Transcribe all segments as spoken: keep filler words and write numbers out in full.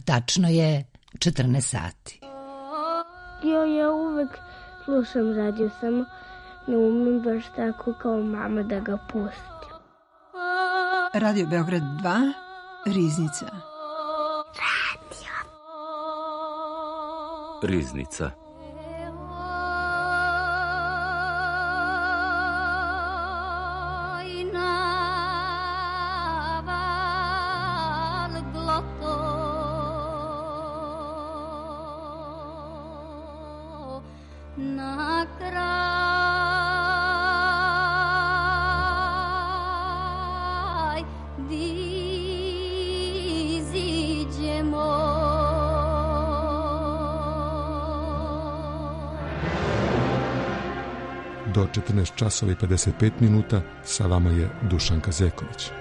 Tačno je četrnaest sati. Ja, ja uvek slušam radio, samo ne umem baš tako kao mama da ga pustim. Radio Beograd dva, Riznica. Radio. Riznica. Do četrnaest časova i pedeset pet minuta sa vama je Dušanka Zeković.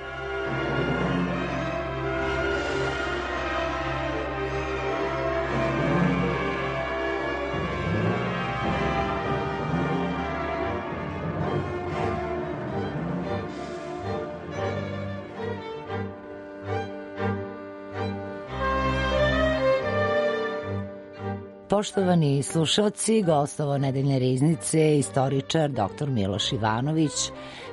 Poštovani slušalci, gostovo nedeljne riznice, istoričar doktor Miloš Ivanović,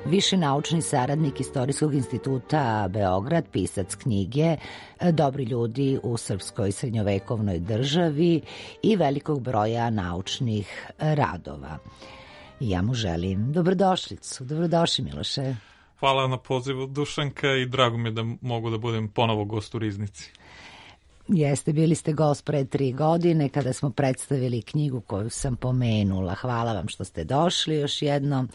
viši naučni saradnik Istorijskog instituta Beograd, pisac knjige Dobri ljudi u srpskoj srednjovekovnoj državi i velikog broja naučnih radova. Ja mu želim dobrodošlicu. Dobrodošli, Miloše. Hvala na pozivu, Dušanka, i drago mi je da mogu da budem ponovo gost u riznici. Jeste, bili ste gost pre tri godine kada smo predstavili knjigu koju sam pomenula. Hvala vam što ste došli još jednom.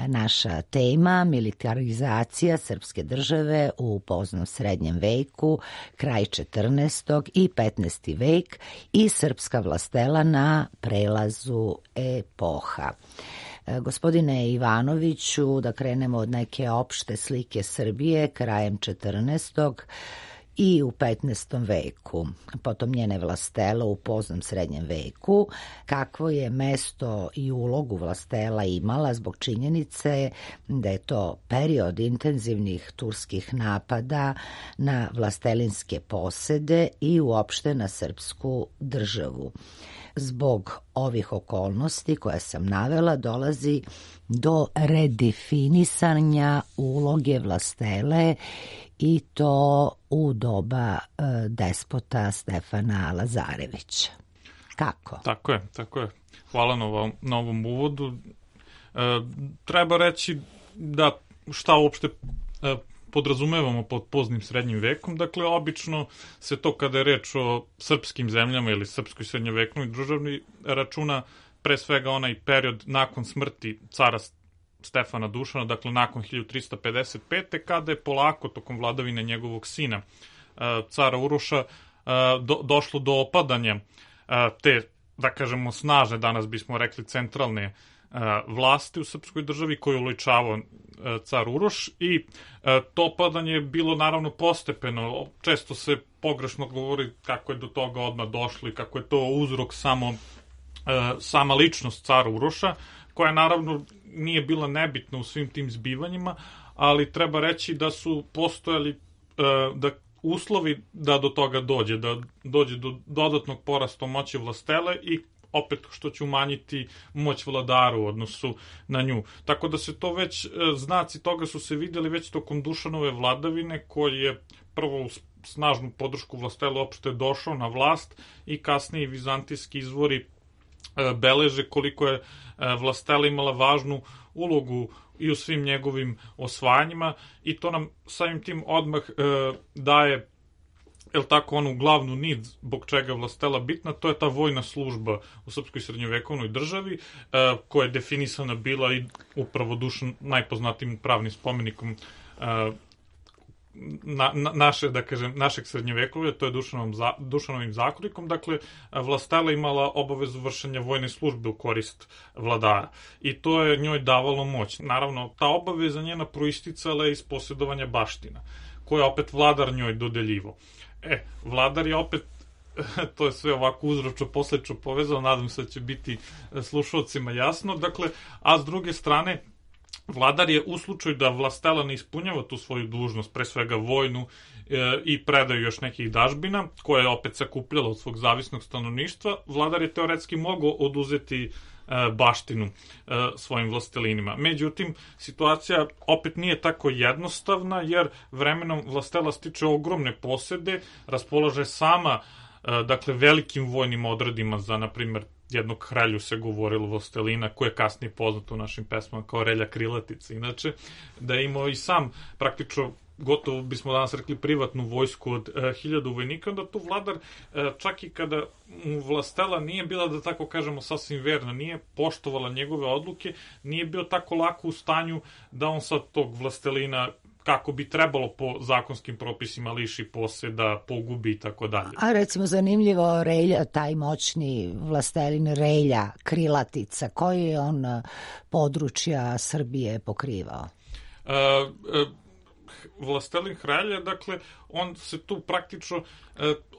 Naša tema, militarizacija srpske države u poznom srednjem veku, kraj četrnaestog i petnaesti vek i srpska vlastela na prelazu epoha. Gospodine Ivanoviću, da krenemo od neke opšte slike Srbije krajem četrnaestog i u petnaestom veku, potom njene vlastela u poznom srednjem veku, kakvo je mesto i ulogu vlastela imala zbog činjenice da je to period intenzivnih turskih napada na vlastelinske posede i uopšte na srpsku državu. Zbog ovih okolnosti koje sam navela dolazi do redefinisanja uloge vlastele i to u doba e, despota Stefana Lazarevića. Kako? Tako je, tako je. Hvala na ovom, na ovom uvodu. E, treba reći da šta uopšte e, podrazumevamo pod poznim srednjim vekom. Dakle, obično se to kada je reč o srpskim zemljama ili srpskoj srednjovekovnoj državi računa pre svega onaj period nakon smrti cara Stefana Dušana, dakle nakon hiljadu trista pedeset pete. kada je polako tokom vladavine njegovog sina, cara Uroša, do, došlo do opadanja te, da kažemo, snažne, danas bismo rekli centralne vlasti u srpskoj državi koju uličavao car Uroš, i to opadanje je bilo naravno postepeno. Često se pogrešno govori kako je do toga odmah došlo i kako je to uzrok samo sama ličnost cara Uroša, koja naravno nije bila nebitna u svim tim zbivanjima, ali treba reći da su postojali da uslovi da do toga dođe, da dođe do dodatnog porasta moći vlastele i opet što će umanjiti moć vladara u odnosu na nju. Tako da se to već, znaci toga su se vidjeli već tokom Dušanove vladavine, koji je prvo uz snažnu podršku vlastele opšte došao na vlast, i kasnije vizantijski izvori beleže koliko je vlastela imala važnu ulogu i u svim njegovim osvajanjima, i to nam samim tim odmah e, daje, jel tako, onu glavnu nit zbog čega je vlastela bitna. To je ta vojna služba u srpskoj srednjovekovnoj državi, e, koja je definisana bila i upravo Dušan najpoznatijim pravnim spomenikom e, Na, na, naše, da kažem, našeg srednjovekovlja, to je Dušanovom, Dušanovim zakonikom. Dakle, vlastela imala obavezu vršenja vojne službe u korist vladara, i to je njoj davalo moć. Naravno, ta obaveza njena proisticala je iz posjedovanja baština, koje opet vladar njoj dodeljivo. E, vladar je opet, to je sve ovako uzročno poslečno povezano, nadam se da će biti slušalcima jasno. Dakle, a s druge strane, vladar je u slučaju da vlastela ne ispunjava tu svoju dužnost, pre svega vojnu e, i predaju još nekih dažbina, koje je opet sakupljala od svog zavisnog stanovništva, vladar je teoretski mogao oduzeti baštinu svojim vlastelinima. Međutim, situacija opet nije tako jednostavna, jer vremenom vlastela stiče ogromne posede, raspolaže sama, dakle, velikim vojnim odredima za, na primjer, jednog kralju se govorilo vlastelina, koji je kasnije poznat u našim pesmama kao Relja Krilatica. Inače, da je imao i sam praktično gotovo bismo danas rekli privatnu vojsku od e, hiljadu vojnika, onda tu vladar, e, čak i kada mu vlastela nije bila, da tako kažemo, sasvim verna, nije poštovala njegove odluke, nije bio tako lako u stanju da on sad tog vlastelina, kako bi trebalo po zakonskim propisima, liši poseda, pogubi i tako dalje. A recimo zanimljivo, Relja, taj moćni vlastelin Relja Krilatica, koji je on područja Srbije pokrivao? E, e, vlastelin Hrelja, dakle, on se tu praktično,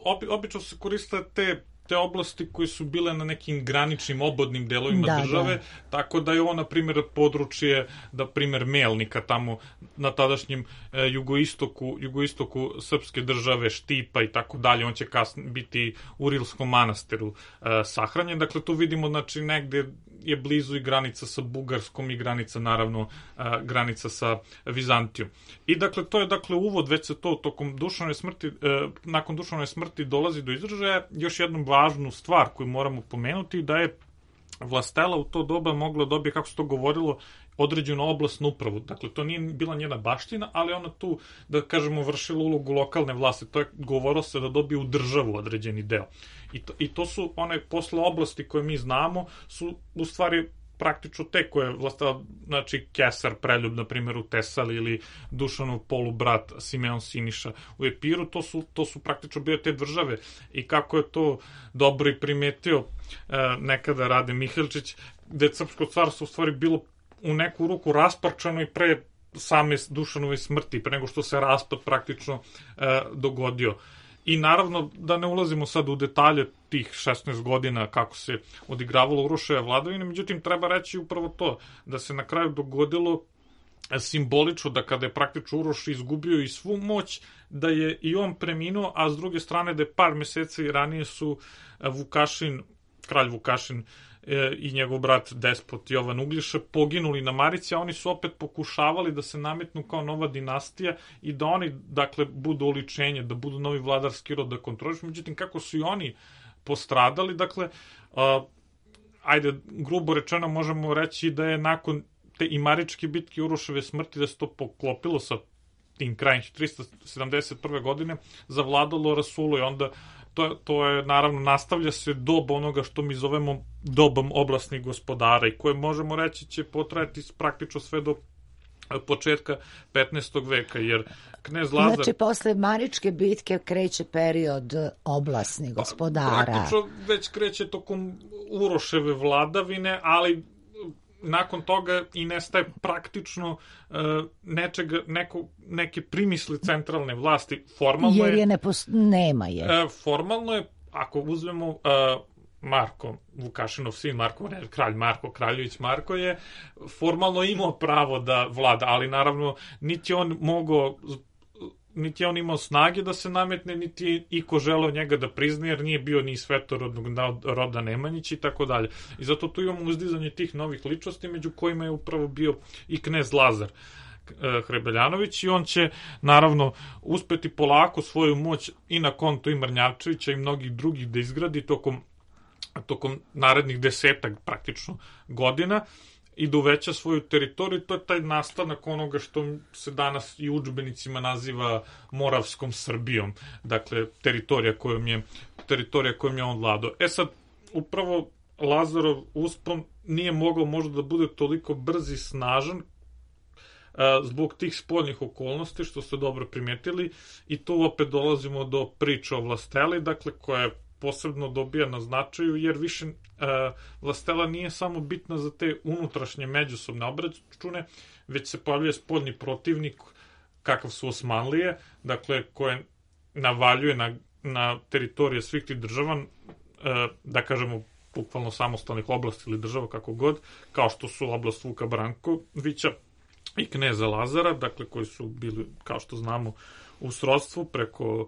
obi, obično se koriste te te oblasti koje su bile na nekim graničnim obodnim delovima da, države, da. Tako da je on, na primjer, područje, da primjer, Melnika, tamo na tadašnjem e, jugoistoku, jugoistoku srpske države, Štipa i tako dalje, on će kasnije biti u Rilskom manastiru e, sahranjen, dakle, tu vidimo, znači, negde je blizu i granica sa Bugarskom i granica, naravno, a, granica sa Vizantijom. I dakle, to je dakle uvod, već se to tokom Dušanove smrti, e, nakon Dušanove smrti dolazi do izražaja. Još jednu važnu stvar koju moramo pomenuti, da je vlastela u to doba mogla dobije, kako se to govorilo, određenu oblastnu upravu. Dakle, to nije bila njena baština, ali ona tu, da kažemo, vršila ulogu lokalne vlasti. To je govorilo se da dobije u državu određeni deo. I to, i to su one posle oblasti koje mi znamo, su u stvari praktično te koje vlastela, znači Kesar Preljub, na primjer, u Tesali, ili Dušanov polubrat Simeon Siniša u Epiru, to su, to su praktično bile te države. I kako je to dobro i primetio e, nekada Rade Mihaljčić, gde je srpsko carstvo u stvari bilo u neku ruku rasparčano i pre same Dušanove smrti, pre nego što se raspad praktično e, dogodio. I naravno, da ne ulazimo sad u detalje tih šesnaest godina kako se odigravalo Uroševa vladavina, međutim, treba reći upravo to, da se na kraju dogodilo simbolično, da kada je praktično Uroš izgubio i svu moć, da je i on preminuo, a s druge strane da je par meseci ranije su Vukašin, kralj Vukašin, i njegov brat despot Jovan Uglješa poginuli na Marici, a oni su opet pokušavali da se nametnu kao nova dinastija i da oni, dakle, budu oličenje, da budu novi vladarski rod, da kontrolišu. Međutim, kako su i oni postradali, dakle, a, ajde, grubo rečeno možemo reći da je nakon te i Maričke bitke, Uroševe smrti, da se to poklopilo sa tim krajem trista sedamdeset prve godine, zavladalo Rasulo i onda To, to je, naravno, nastavlja se doba onoga što mi zovemo dobom oblasnih gospodara i koje možemo reći će potrajati praktično sve do početka petnaestog veka, jer knez Lazar... Znači, posle Maričke bitke kreće period oblasnih gospodara. Praktično već kreće tokom Uroševe vladavine, ali nakon toga i nestaje praktično uh, nečega, neko, neke primisli centralne vlasti. Formalno Jer je, je ne pos... nema je. Uh, formalno je, ako uzmemo uh, Marko, Vukašinov sin, Marko, ne, kralj Marko, Kraljević Marko je formalno imao pravo da vlada, ali naravno niti on mogao, niti je on imao snage da se nametne, niti je iko želeo njega da prizna, jer nije bio ni svetorodnog roda Nemanjić i tako dalje. I zato tu imamo uzdizanje tih novih ličnosti, među kojima je upravo bio i knez Lazar Hrebeljanović, i on će naravno uspeti polako svoju moć i na konto i Mrnjavčevića i mnogih drugih da izgradi tokom, tokom narednih desetak praktično godina i da uveća svoju teritoriju. To je taj nastanak onoga što se danas i u udžbenicima naziva Moravskom Srbijom, dakle teritorija kojom je, teritorija kojom je on vladao. E sad, upravo Lazarov uspon nije mogao možda da bude toliko brz i snažan zbog tih spoljnih okolnosti, što ste dobro primetili, i tu opet dolazimo do priče o vlasteli, dakle, koja je posebno dobija na značaju, jer više uh, vlastela nije samo bitna za te unutrašnje međusobne obračune, već se pojavljuje spoljni protivnik, kakav su Osmanlije, dakle, koje navaljuje na, na teritorije svih tih država, uh, da kažemo, bukvalno samostalnih oblasti ili država, kako god, kao što su oblast Vuka Brankovića i kneza Lazara, dakle koji su bili, kao što znamo, u srodstvu preko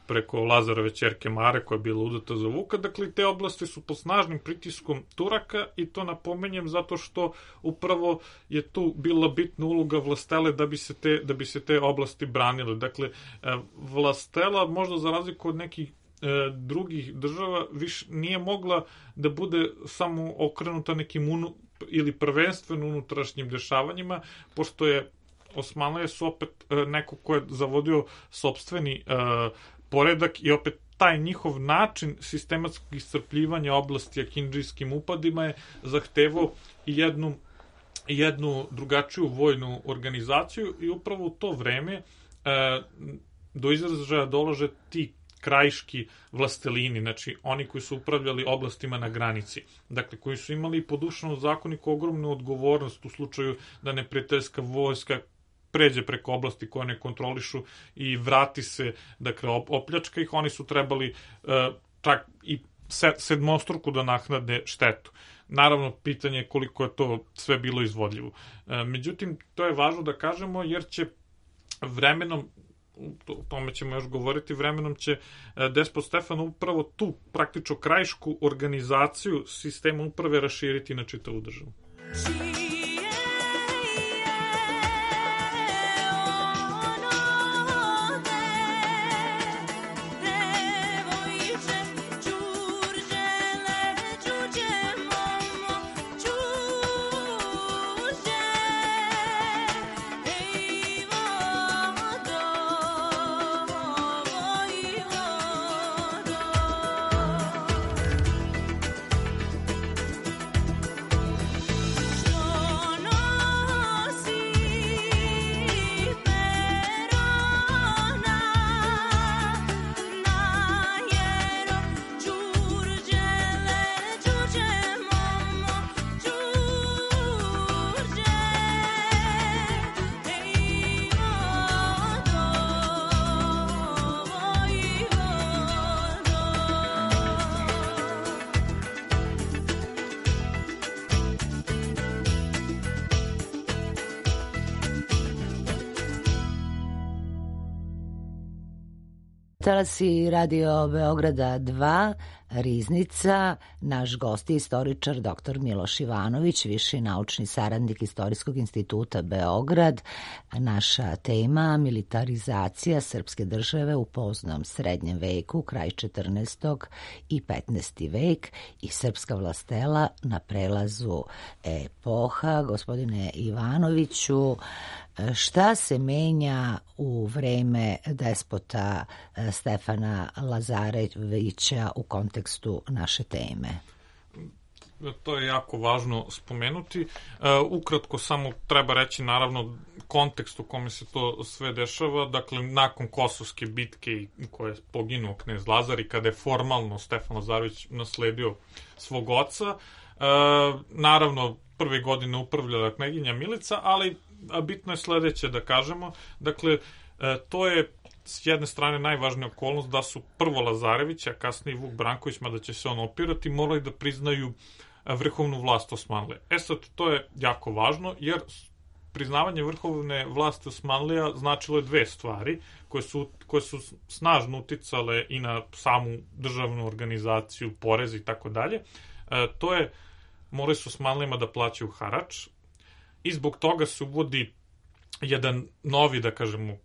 preko Lazarove ćerke Mare koja je bila udata za Vuka, dakle te oblasti su pod snažnim pritiskom Turaka i to napomenjem zato što upravo je tu bila bitna uloga vlastele da bi se te, da bi se te oblasti branile. Dakle, vlastela možda za razliku od nekih e, drugih država više nije mogla da bude samo okrenuta nekim unu, ili prvenstveno unutrašnjim dešavanjima, pošto je Osmanlije su opet e, neko ko je zavodio sopstveni e, poredak i opet taj njihov način sistematskog iscrpljivanja oblasti akindžijskim upadima je zahtevao i jednu, jednu drugačiju vojnu organizaciju i upravo u to vreme e, do izražaja dolaže ti krajiški vlastelini, znači oni koji su upravljali oblastima na granici, dakle koji su imali po Dušanom zakoniku ogromnu odgovornost u slučaju da neprijateljska vojska pređe preko oblasti koje ne kontrolišu i vrati se, dakle, opljačka ih, oni su trebali uh, čak i sedmostruku da naknade štetu. Naravno, pitanje je koliko je to sve bilo izvodljivo. Uh, međutim, to je važno da kažemo, jer će vremenom, o tome ćemo još govoriti, vremenom će uh, despot Stefan upravo tu praktično krajišku organizaciju sistema uprave raširiti na čitavu državu. Talasi Radio Beograda dva, Riznica, naš gost je istoričar doktor Miloš Ivanović, viši naučni saradnik Istorijskog instituta Beograd. Naša tema militarizacija srpske države u poznom srednjem veku, kraj četrnaestog i petnaesti vek i srpska vlastela na prelazu epoha. Gospodine Ivanoviću, šta se menja u vreme despota Stefana Lazarevića u kontekstu naše teme? To je jako važno spomenuti. Uh, ukratko samo treba reći naravno kontekst u kome se to sve dešava. Dakle, nakon Kosovske bitke koje je poginuo knez Lazar i kada je formalno Stefan Lazarević nasledio svog oca, uh, naravno prve godine upravljala kneginja Milica, ali bitno je sledeće da kažemo. Dakle, uh, to je s jedne strane najvažnija okolnost da su prvo Lazarević, a kasnije Vuk Branković, mada će se on opirati, morali da priznaju vrhovnu vlast Osmanlije. E sad, to je jako važno, jer priznavanje vrhovne vlasti Osmanlija značilo je dve stvari, koje su, koje su snažno uticale i na samu državnu organizaciju, porez i tako dalje. To je, morali su Osmanlijama da plaćaju harač i zbog toga se uvodi jedan novi, da kažemo,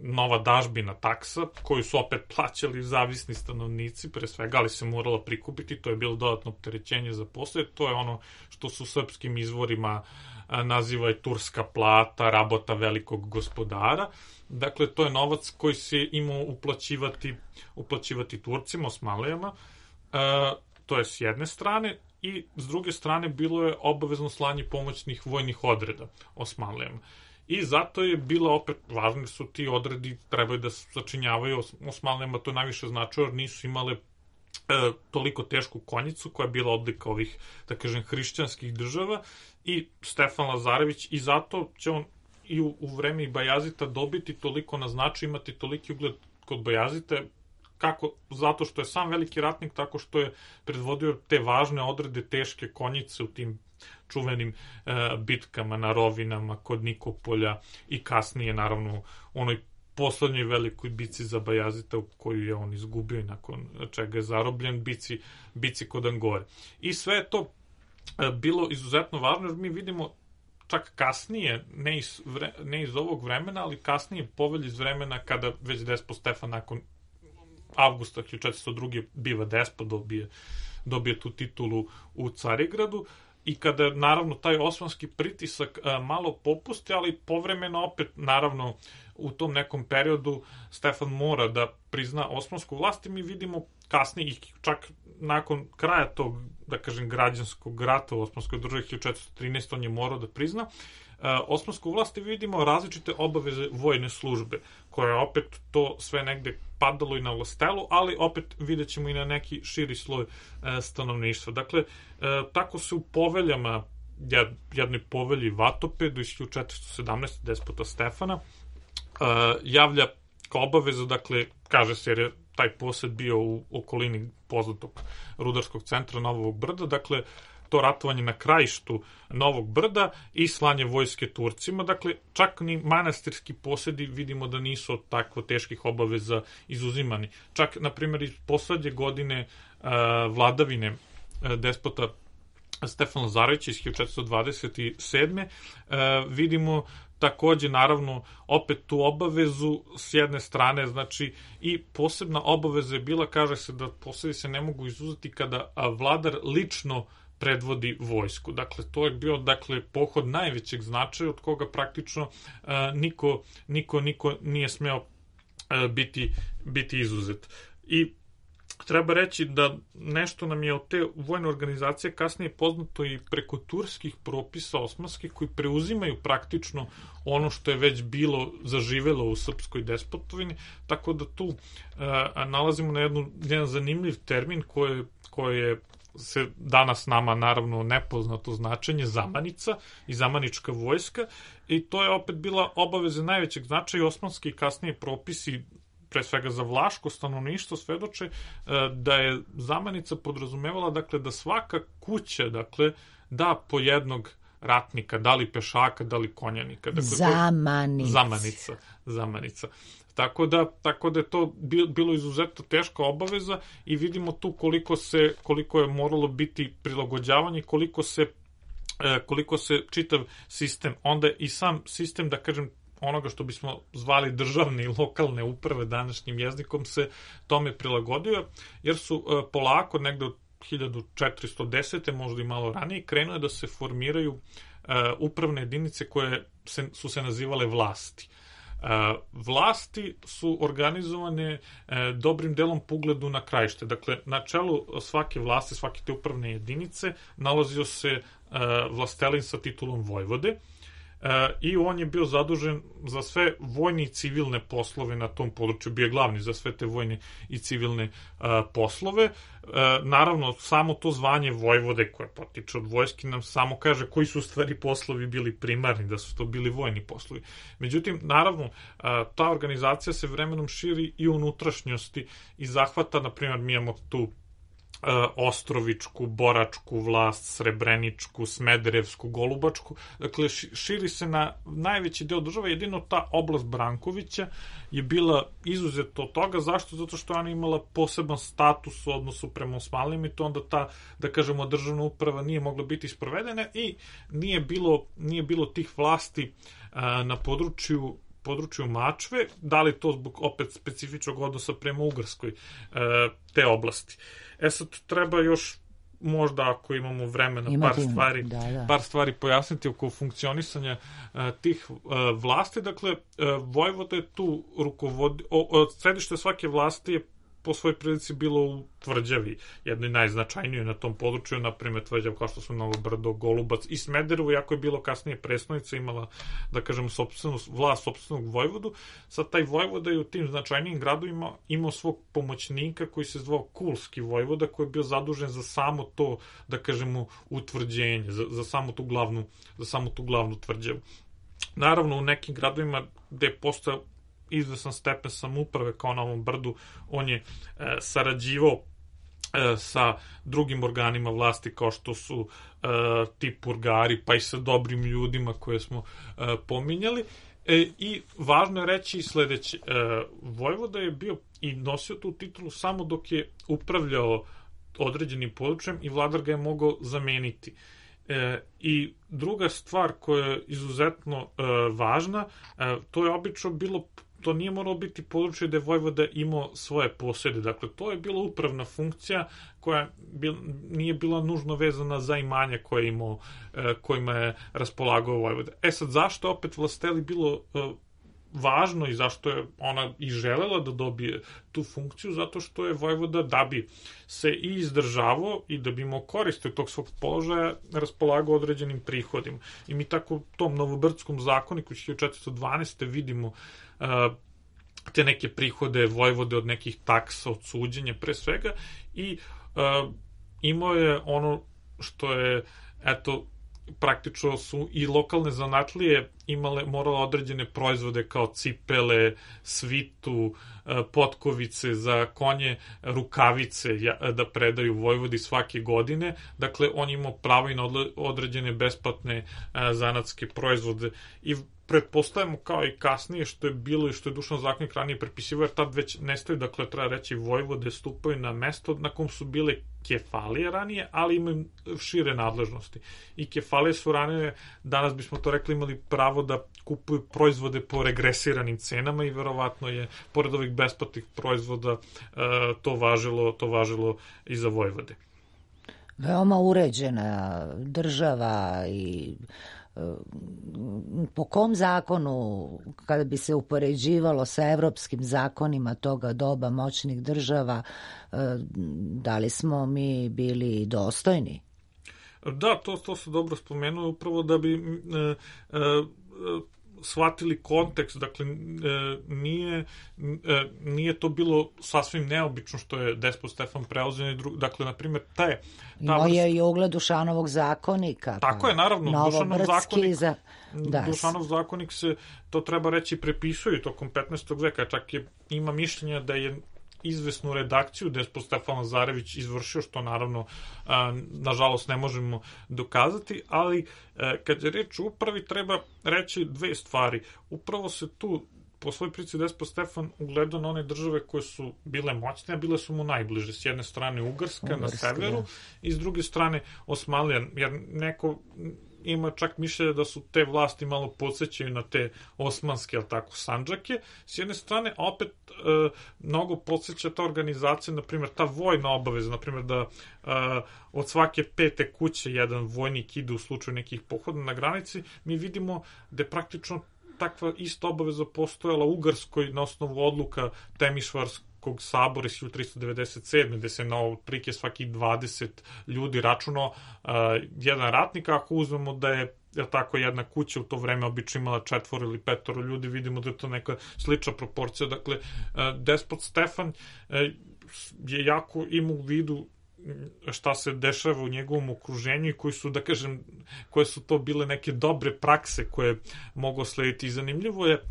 nova dažbina taksa, koju su opet plaćali zavisni stanovnici, pre svega, ali se morala prikupiti, to je bilo dodatno opterećenje za poslije, to je ono što su u srpskim izvorima naziva i turska plata, rabota velikog gospodara. Dakle, to je novac koji se imao uplaćivati, uplaćivati Turcima, Osmanlijama, e, to je s jedne strane, i s druge strane bilo je obavezno slanje pomoćnih vojnih odreda Osmanlijama. I zato je bila opet, važni su ti odredi, trebaju da sačinjavaju Osmanlijama, to najviše značilo, jer nisu imale e, toliko tešku konjicu, koja je bila odlika ovih, da kažem, hrišćanskih država, i Stefan Lazarević, i zato će on i u, u vreme i Bajazita dobiti toliko na značaju, imati toliki ugled kod Bajazite, kako, zato što je sam veliki ratnik, tako što je predvodio te važne odrede, teške konjice u tim čuvenim e, bitkama na Rovinama, kod Nikopolja i kasnije, naravno, onoj poslednjoj velikoj bici za Bajazita koju je on izgubio i nakon čega je zarobljen, bici, bici kod Angore. I sve je to e, bilo izuzetno važno, jer mi vidimo čak kasnije, ne iz, vre, ne iz ovog vremena, ali kasnije povelj iz vremena kada već despot Stefan nakon avgusta hiljadu četiristo druge biva despot, dobije, dobije tu titulu u Carigradu, i kada, naravno, taj osmanski pritisak a, malo popusti, ali povremeno opet, naravno, u tom nekom periodu Stefan mora da prizna osmansku vlast i mi vidimo kasnije, čak nakon kraja tog, da kažem, građanskog rata u Osmanskoj državi hiljadu četiristo trinaeste. on je morao da prizna osmansku vlast i vidimo različite obaveze vojne službe, koje je opet to sve negde padalo i na vlastelu, ali opet vidjet ćemo i na neki širi sloj e, stanovništva. Dakle, e, tako se u poveljama, jednoj povelji Vatopedu iz hiljadu četiristo sedamnaeste. despota Stefana e, javlja kao obaveza, dakle, kaže se jer je taj posed bio u okolini poznatog rudarskog centra Novog Brda, dakle, to ratovanje na krajištu Novog Brda i slanje vojske Turcima. Dakle, čak ni manastirski posedi vidimo da nisu od takvo teških obaveza izuzimani. Čak, na primjer, iz poslednje godine uh, vladavine uh, despota Stefana Lazarevića iz hiljadu četiristo dvadeset sedme. Uh, vidimo takođe, naravno, opet tu obavezu s jedne strane, znači, i posebna obaveza je bila, kaže se da posedi se ne mogu izuzeti kada vladar lično predvodi vojsku. Dakle, to je bio, dakle, pohod najvećeg značaja od koga praktično uh, niko, niko, niko nije smeo uh, biti, biti izuzet. I treba reći da nešto nam je od te vojne organizacije kasnije poznato i preko turskih propisa osmanskih koji preuzimaju praktično ono što je već bilo zaživelo u srpskoj despotovini, tako da tu uh, nalazimo na jednu, jedan zanimljiv termin koje, koje je se danas nama naravno nepoznato značenje, zamanica i zamanička vojska, i to je opet bila obaveza najvećeg značaja. Osmanski kasnije propisi, pre svega za vlaško stanovništvo, svedoče da je zamanica podrazumevala, dakle, da svaka kuća, dakle, da po jednog ratnika, da li pešaka, da li konjanika. Dakle, Zamanica. Zamanica. Zamanica. Tako da, tako da je to bilo izuzetno teška obaveza i vidimo tu koliko se, koliko je moralo biti prilagođavanje, koliko se, koliko se čitav sistem, onda i sam sistem, da kažem, onoga što bismo zvali državne i lokalne uprave današnjim jezikom se tome prilagodio, jer su polako negde od hiljadu četiristo desete. možda i malo ranije, krenule da se formiraju upravne jedinice koje se, su se nazivale vlasti. Vlasti su organizovane dobrim delom po ugledu na krajište. Dakle, na čelu svake vlasti, svake te upravne jedinice nalazio se vlastelin sa titulom vojvode, i on je bio zadužen za sve vojne i civilne poslove na tom području, bio je glavni za sve te vojne i civilne poslove. Naravno, samo to zvanje vojvode koje potiče od vojske nam samo kaže koji su u stvari poslovi bili primarni, da su to bili vojni poslovi. Međutim, naravno, ta organizacija se vremenom širi i u unutrašnjosti i zahvata, na primjer, mi imamo tu Ostrovičku, Boračku vlast, Srebreničku, Smederevsku, Golubačku. Dakle, širi se na najveći deo države. Jedino ta oblast Brankovića je bila izuzeto od toga. Zašto? Zato što ona imala poseban status u odnosu prema Osmanlijama i to onda ta, da kažemo, državna uprava nije mogla biti isprovedena i nije bilo, nije bilo tih vlasti a, na području području Mačve, da li to zbog opet specifičnog odnosa prema Ugarskoj e, te oblasti. E sad, treba još možda ako imamo vremena Imati, par stvari da, da. par stvari pojasniti oko funkcionisanja e, tih e, vlasti. Dakle, e, vojvoda je tu rukovodi, o, o, središte svake vlasti je po svojoj prilici bilo u Tvrđavi, jednoj najznačajnijoj na tom području, na primjer Tvrđav kao što su Novo Brdo, Golubac i Smederevo, iako je bilo kasnije prestonica, imala, da kažem, sopstvenu vlast, sopstvenog vojvodu. Sad taj vojvoda je u tim značajnijim gradovima imao svog pomoćnika koji se zvao Kulski vojvoda, koji je bio zadužen za samo to, da kažemo, utvrđenje, za, za samo tu glavnu, za samo tu glavnu tvrđavu. Naravno, u nekim gradovima gde je postao izvesan stepen samouprave kao na ovom brdu, on je e, sarađivao e, sa drugim organima vlasti kao što su e, ti purgari, pa i sa dobrim ljudima koje smo e, pominjali. E, I važno je reći sledeće, e, Vojvoda je bio i nosio tu titulu samo dok je upravljao određenim područjem i vladar ga je mogao zameniti. E, I druga stvar koja je izuzetno e, važna, e, to je obično bilo, to nije moralo biti područje gde Vojvoda imao svoje posjede, dakle to je bila upravna funkcija koja bil, nije bila nužno vezana za imanje koje je imao, e, kojima je raspolagao Vojvoda. E sad, zašto opet Vlasteli bilo e, važno i zašto je ona i želela da dobije tu funkciju? Zato što je Vojvoda, da bi se i izdržavao i da bi imao koriste od tog svog položaja, raspolagao određenim prihodima. I mi tako u tom Novobrdskom zakoniku hiljadu četiristo dvanaeste. vidimo uh, te neke prihode Vojvode od nekih taksa, od suđenja pre svega, i uh, imao je ono što je, eto, praktično su i lokalne zanatlije imale, morale određene proizvode kao cipele, svitu, potkovice za konje, rukavice da predaju Vojvodi svake godine. Dakle, on imao pravo i na određene besplatne zanatske proizvode. I pretpostavljamo kao i kasnije što je bilo i što je Dušan zakonik ranije prepisivao, jer tad već nestaju, dakle treba reći, Vojvode stupaju na mesto na kom su bile kefalije ranije, ali imaju šire nadležnosti. I kefalije su ranije, danas bismo to rekli, imali pravo da kupuju proizvode po regresiranim cenama i verovatno je, pored ovih besplatnih proizvoda, to važilo, to važilo i za Vojvode. Veoma uređena država i po kom zakonu, kada bi se upoređivalo sa evropskim zakonima toga doba moćnih država, da li smo mi bili dostojni? Da, to, to se dobro spomenuo, upravo da bi e, e, shvatili kontekst, dakle nije, nije to bilo sasvim neobično što je despot Stefan preuzeo, dakle, na primjer, te... Imao je i ugled Dušanovog zakonika. Tako je, naravno, Dušanov zakonik, za... da. Dušanov zakonik se, to treba reći, prepisuje tokom petnaestog veka, čak je, ima mišljenja da je izvesnu redakciju despot Stefan Lazarević izvršio, što naravno nažalost ne možemo dokazati, ali kad je reč o upravi treba reći dve stvari. Upravo se tu po svoj prici despot Stefan ugledao na one države koje su bile moćne, a bile su mu najbliže. S jedne strane Ugarska, Ugarska na severu, da. I s druge strane Osmanlija, jer neko ima čak mišljenje da su te vlasti malo podsjećaju na te osmanske, ali tako, sandžake, s jedne strane, a opet e, mnogo podsjeća ta organizacija, na primjer, ta vojna obaveza, na primjer, da e, od svake pete kuće jedan vojnik ide u slučaju nekih pohoda na granici, mi vidimo da je praktično takva ista obaveza postojala u Ugarskoj na osnovu odluka Temišvarskog sabora iz hiljadu tristo devedeset sedme. gde se na otprilike svakih dvadeset ljudi računao uh, jedan ratnik, ako uzmemo da je jer tako jedna kuća u to vreme obično imala četvoro ili petoro ljudi, vidimo da je to neka slična proporcija. Dakle, uh, despot Stefan uh, je jako imao u vidu šta se dešava u njegovom okruženju i koji su, da kažem, koje su to bile neke dobre prakse koje mogu slediti. I zanimljivo je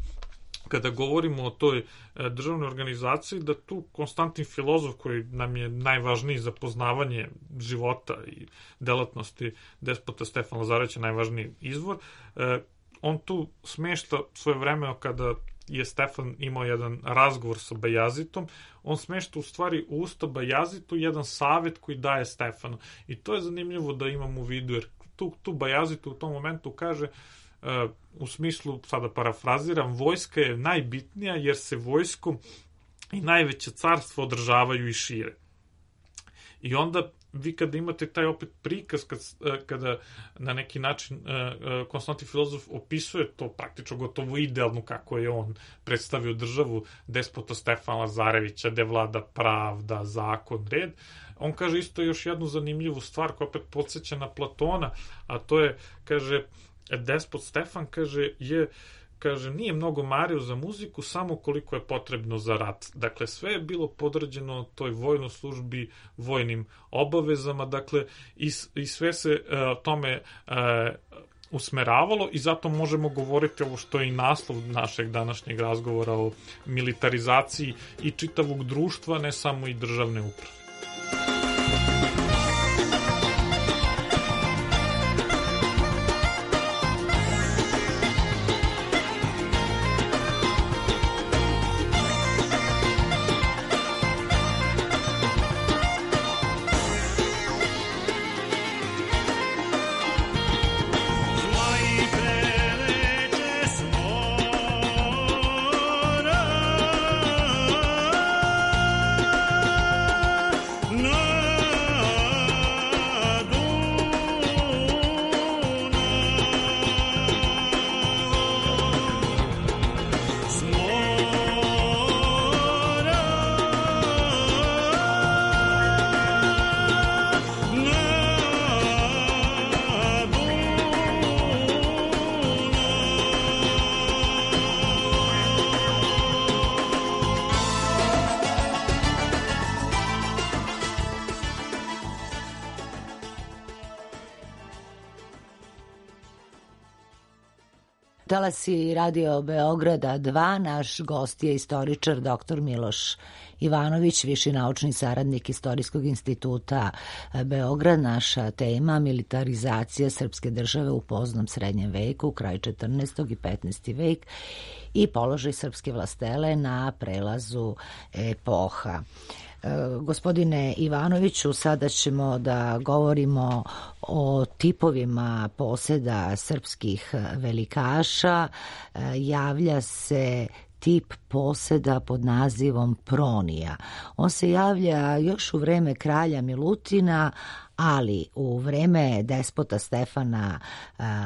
kada govorimo o toj državnoj organizaciji, da tu Konstantin Filozof, koji nam je najvažniji za poznavanje života i delatnosti despota Stefana Lazarevića, najvažniji izvor, on tu smešta svoje vreme kada je Stefan imao jedan razgovor sa Bajazitom, on smešta u stvari u usta Bajazitu jedan savet koji daje Stefanu. I to je zanimljivo da imam u vidu, jer tu, tu Bajazitu u tom momentu kaže, uh, u smislu, sada parafraziram, vojska je najbitnija jer se vojskom i najveće carstvo održavaju i šire. I onda vi kada imate taj opet prikaz kad, kada na neki način uh, Konstantin Filozof opisuje to praktično gotovo idealno kako je on predstavio državu despota Stefana Lazarevića, gde vlada pravda, zakon, red, on kaže isto još jednu zanimljivu stvar koja opet podsjeća na Platona, a to je, kaže, despot Stefan, kaže, je kaže, nije mnogo mario za muziku, samo koliko je potrebno za rat. Dakle, sve je bilo podređeno toj vojnoj službi, vojnim obavezama, dakle, i, i sve se uh, tome uh, usmeravalo i zato možemo govoriti ovo što je i naslov našeg današnjeg razgovora o militarizaciji i čitavog društva, ne samo i državne uprave. Talasi Radio Beograda dva, naš gost je istoričar doktor Miloš Ivanović, viši naučni saradnik Istorijskog instituta Beograd. Naša tema militarizacija srpske države u poznom srednjem veku, kraj četrnaestog i petnaesti vek i položaj srpske vlastele na prelazu epoha. Gospodine Ivanoviću, sada ćemo da govorimo o tipovima poseda srpskih velikaša. Javlja se tip poseda pod nazivom Pronija. On se javlja još u vreme kralja Milutina, ali u vreme despota Stefana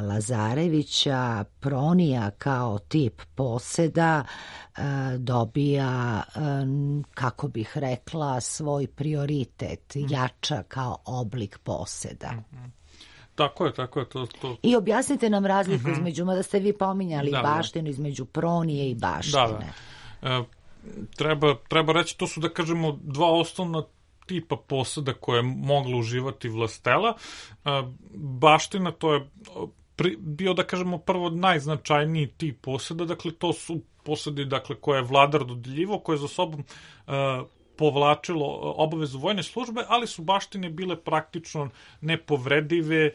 Lazarevića Pronija kao tip poseda dobija, kako bih rekla, svoj prioritet, jača kao oblik poseda. Tako je, tako je. To, to... I objasnite nam razliku mm-hmm. između, mada ste vi pominjali da, baštinu, da. između Pronije i baštine. Da, da. E, treba, treba reći, to su, da kažemo, dva osnovna tipa poseda koje je mogla uživati vlastela. E, baština, to je pri, bio, da kažemo, prvo najznačajniji tip poseda, dakle, to su posedi, dakle, koje je vladar dodeljivo, koje je za sobom e, povlačilo obavezu vojne službe, ali su baštine bile praktično nepovredive.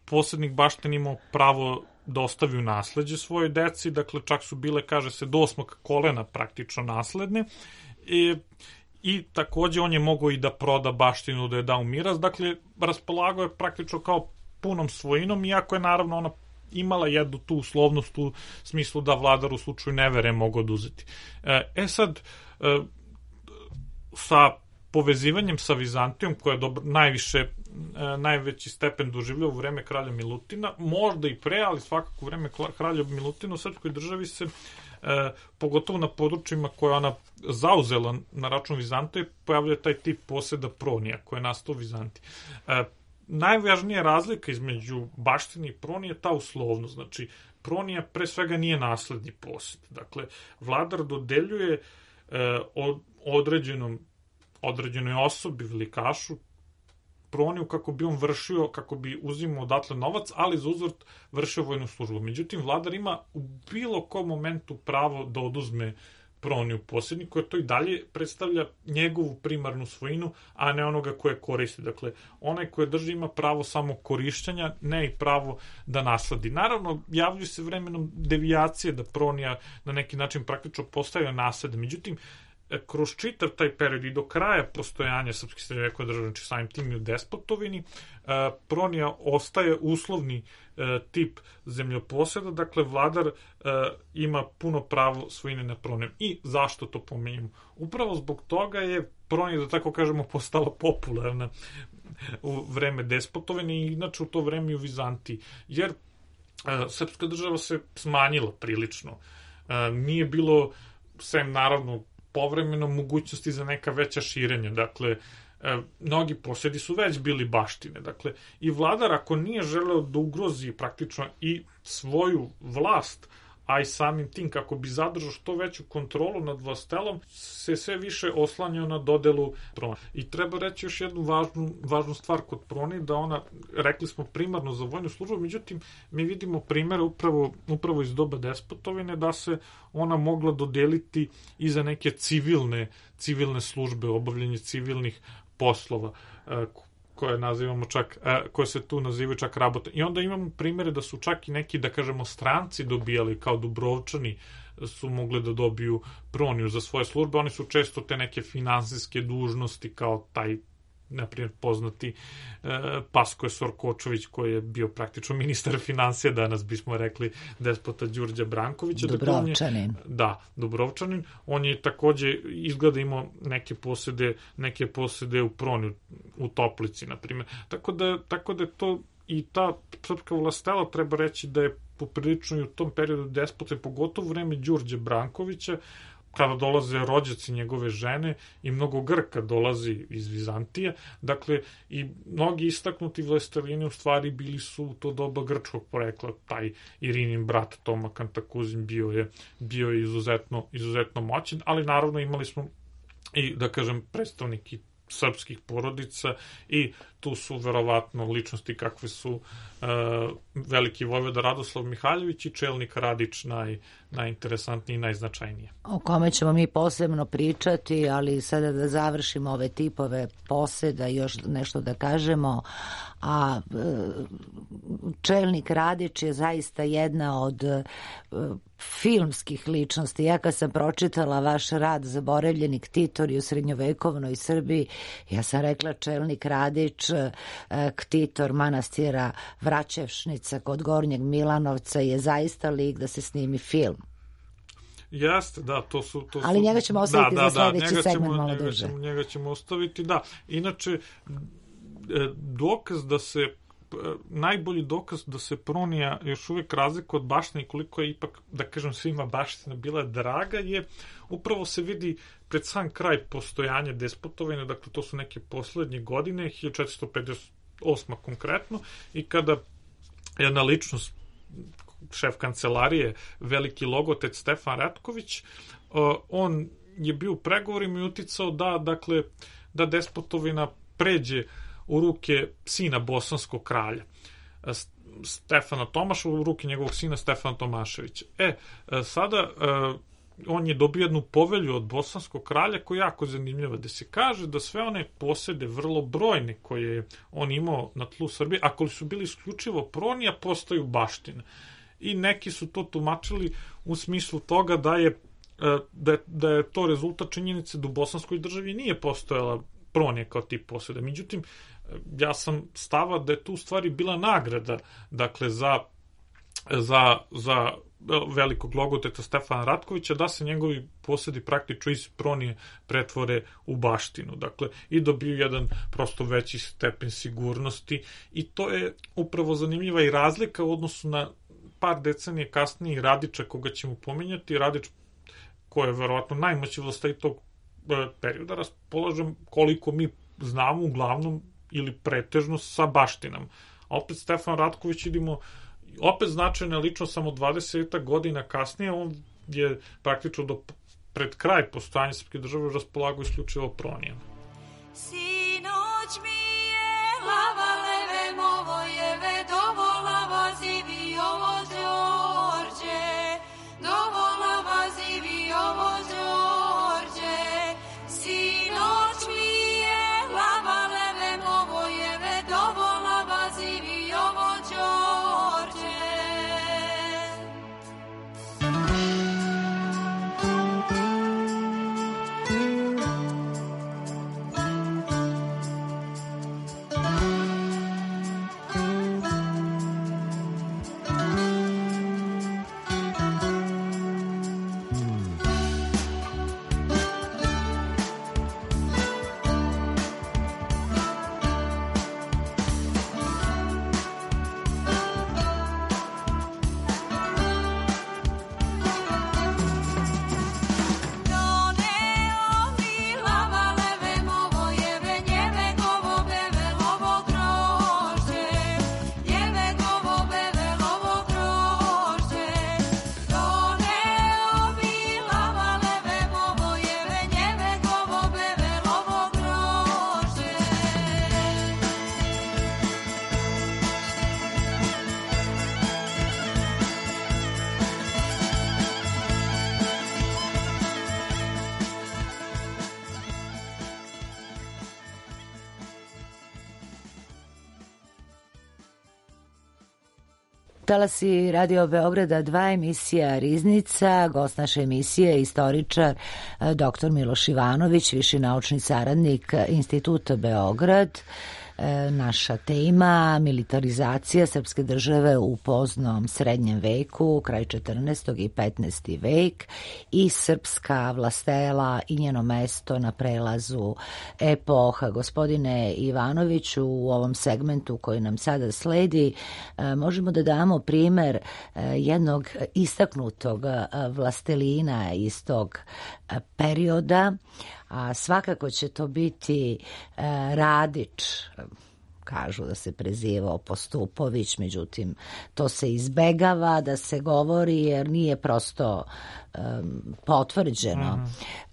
Posjednik baštin imao pravo da ostavi u nasleđe svojoj deci, dakle čak su bile, kaže se, do osmog kolena praktično nasledne. I, i takođe on je mogao i da proda baštinu, da je da u miraz, dakle raspolagao je praktično kao punom svojinom, iako je naravno ona imala jednu tu uslovnost u smislu da vladar u slučaju nevere mogao oduzeti. E sad, sa povezivanjem sa Vizantijom, koja je dobro, najviše, najveći stepen doživljava u vreme kralja Milutina, možda i pre, ali svakako u vreme kralja Milutina u srpskoj državi se, e, pogotovo na područjima koje ona zauzela na račun Vizantije, pojavlja taj tip poseda Pronija, koji je nastao u Vizantiji. E, najvažnija razlika između baštine i Pronije je ta uslovnost. Znači, Pronija pre svega nije nasledni posed. Dakle, vladar dodeljuje e, od određenom, određenoj osobi, velikašu, Proniju kako bi on vršio, kako bi uzimao odatle novac, ali za uzvrt vršio vojnu službu. Međutim, vladar ima u bilo kom momentu pravo da oduzme Proniju posjednik, koja to i dalje predstavlja njegovu primarnu svojinu, a ne onoga koje koristi. Dakle, onaj koje drži ima pravo samo korišćenja, ne i pravo da nasledi. Naravno, javljaju se vremenom devijacije da Pronija na neki način praktično postaje nasled. Međutim, kroz čitav taj period i do kraja postojanja srpske srednjovekove države, znači samim tim i u despotovini, Pronija ostaje uslovni tip zemljoposeda, dakle vladar ima puno pravo svojine na Pronijom. I zašto to pomenjamo? Upravo zbog toga je Pronija, da tako kažemo, postala popularna u vreme despotovine i inače u to vreme i u Vizantiji, jer srpska država se smanjila prilično. Nije bilo, sem naravno povremeno, mogućnosti za neka veća širenja. Dakle, e, mnogi posedi su već bili baštine. Dakle, i vladar, ako nije želeo da ugrozi praktično i svoju vlast, a i samim tim kako bi zadržao što veću kontrolu nad vlastelom, se sve više oslanjao na dodelu Proni. I treba reći još jednu važnu, važnu stvar kod Proni, da ona, rekli smo, primarno za vojnu službu, međutim, mi vidimo primere upravo, upravo iz doba Despotovine, da se ona mogla dodeliti i za neke civilne, civilne službe, obavljanje civilnih poslova, koje nazivamo čak, koje se tu nazivaju čak rabota. I onda imamo primere da su čak i neki, da kažemo, stranci dobijali, kao Dubrovčani su mogli da dobiju Proniju za svoje službe. Oni su često te neke finansijske dužnosti, kao taj, na primjer, poznati e, Paskoje Sorkočović, koji je bio praktično ministar financija, danas bismo rekli despota Đurđa Brankovića. Dubrovčanin. Dakle, je, da, Dubrovčanin. On je takođe izgleda imao neke posede, neke posede u Proni, u Toplici, na primjer. Tako da, tako da je to i ta srpska vlastela, treba reći da je poprilično i u tom periodu despota, pogotovo vreme Đurđa Brankovića, kada dolaze rođaci njegove žene i mnogo Grka dolazi iz Vizantije, dakle i mnogi istaknuti vlastelini u stvari bili su u to doba grčkog porekla. Taj Irinin brat Toma Kantakuzin bio je, bio je izuzetno, izuzetno moćan, ali naravno imali smo i, da kažem, predstavniki srpskih porodica i tu su verovatno ličnosti kakve su uh, veliki vojvoda Radoslav Mihaljević i čelnik Radić naj, najinteresantniji i najznačajnije. O kome ćemo mi posebno pričati, ali sada da završimo ove tipove poseda i još nešto da kažemo, a čelnik Radić je zaista jedna od filmskih ličnosti. Ja kad sam pročitala vaš rad Zaboravljeni ktitori u srednjovekovnoj Srbiji, ja sam rekla čelnik Radić, ktitor manastira Vraćevšnica kod Gornjeg Milanovca je zaista lik da se snimi film. Jeste, da, to su... To Ali su, njega ćemo ostaviti da, za da, sledeći da, segment ćemo, malo njega duže. Ćemo, njega ćemo ostaviti, da. Inače, dokaz da se najbolji dokaz da se Pronija još uvijek razlika od baštine i koliko je ipak, da kažem, svima baština bila draga, je upravo se vidi pred sam kraj postojanja Despotovine, dakle to su neke poslednje godine, hiljadu četiristo pedeset osma konkretno, i kada jedna ličnost, šef kancelarije, veliki logotec Stefan Ratković, on je bio u pregovorima i uticao da, dakle, da Despotovina pređe u ruke sina bosanskog kralja, Stefana Tomaša, u ruke njegovog sina Stefana Tomaševića. E, sada on je dobio jednu povelju od bosanskog kralja koja je jako zanimljiva, da se kaže da sve one posede vrlo brojne koje je on imao na tlu Srbije, ako li su bili isključivo Pronija, postaju baština. I neki su to tumačili u smislu toga da je, da je, da je to rezultat činjenice da u bosanskoj državi nije postojala Pronija kao tip poseda. Međutim, ja sam stava da je tu u stvari bila nagrada, dakle, za, za, za velikog logoteta Stefana Ratkovića, da se njegovi posedi praktično iz Pronije pretvore u baštinu. Dakle, i dobiju jedan prosto veći stepen sigurnosti i to je upravo zanimljiva i razlika u odnosu na par decenije kasnije Radića, koga ćemo pominjati. Radić, koji je verovatno najmoći vlastaj tog perioda, raspolažem koliko mi znamo uglavnom ili pretežno sa baštinom. A opet Stefan Ratković, idimo, opet značajna ličnost, samo dvadeset godina kasnije, on je praktično do pred kraj postojanja srpske države raspolagao isključivo Pronijama. Sinoć mi je lava leve Movojeve dovola vazivi ovo Đorđe, dovola vazivi ovo Đorđe. Sinoć mi je lava leve Movojeve dovola vazivi ovo Đorđe. Talasi Radio Beograda dva, emisija Riznica, gost naše emisije, istoričar doktor Miloš Ivanović, viši naučni saradnik Instituta Beograd. Naša tema militarizacija srpske države u poznom srednjem veku, kraj četrnaestog i petnaesti vek i srpska vlastela i njeno mesto na prelazu epoha. Gospodine Ivanoviću, u ovom segmentu koji nam sada sledi možemo da damo primer jednog istaknutog vlastelina iz tog perioda, a svakako će to biti e, Radić. Kažu da se prezivao Postupović, međutim to se izbegava da se govori jer nije prosto um, potvrđeno. Mm.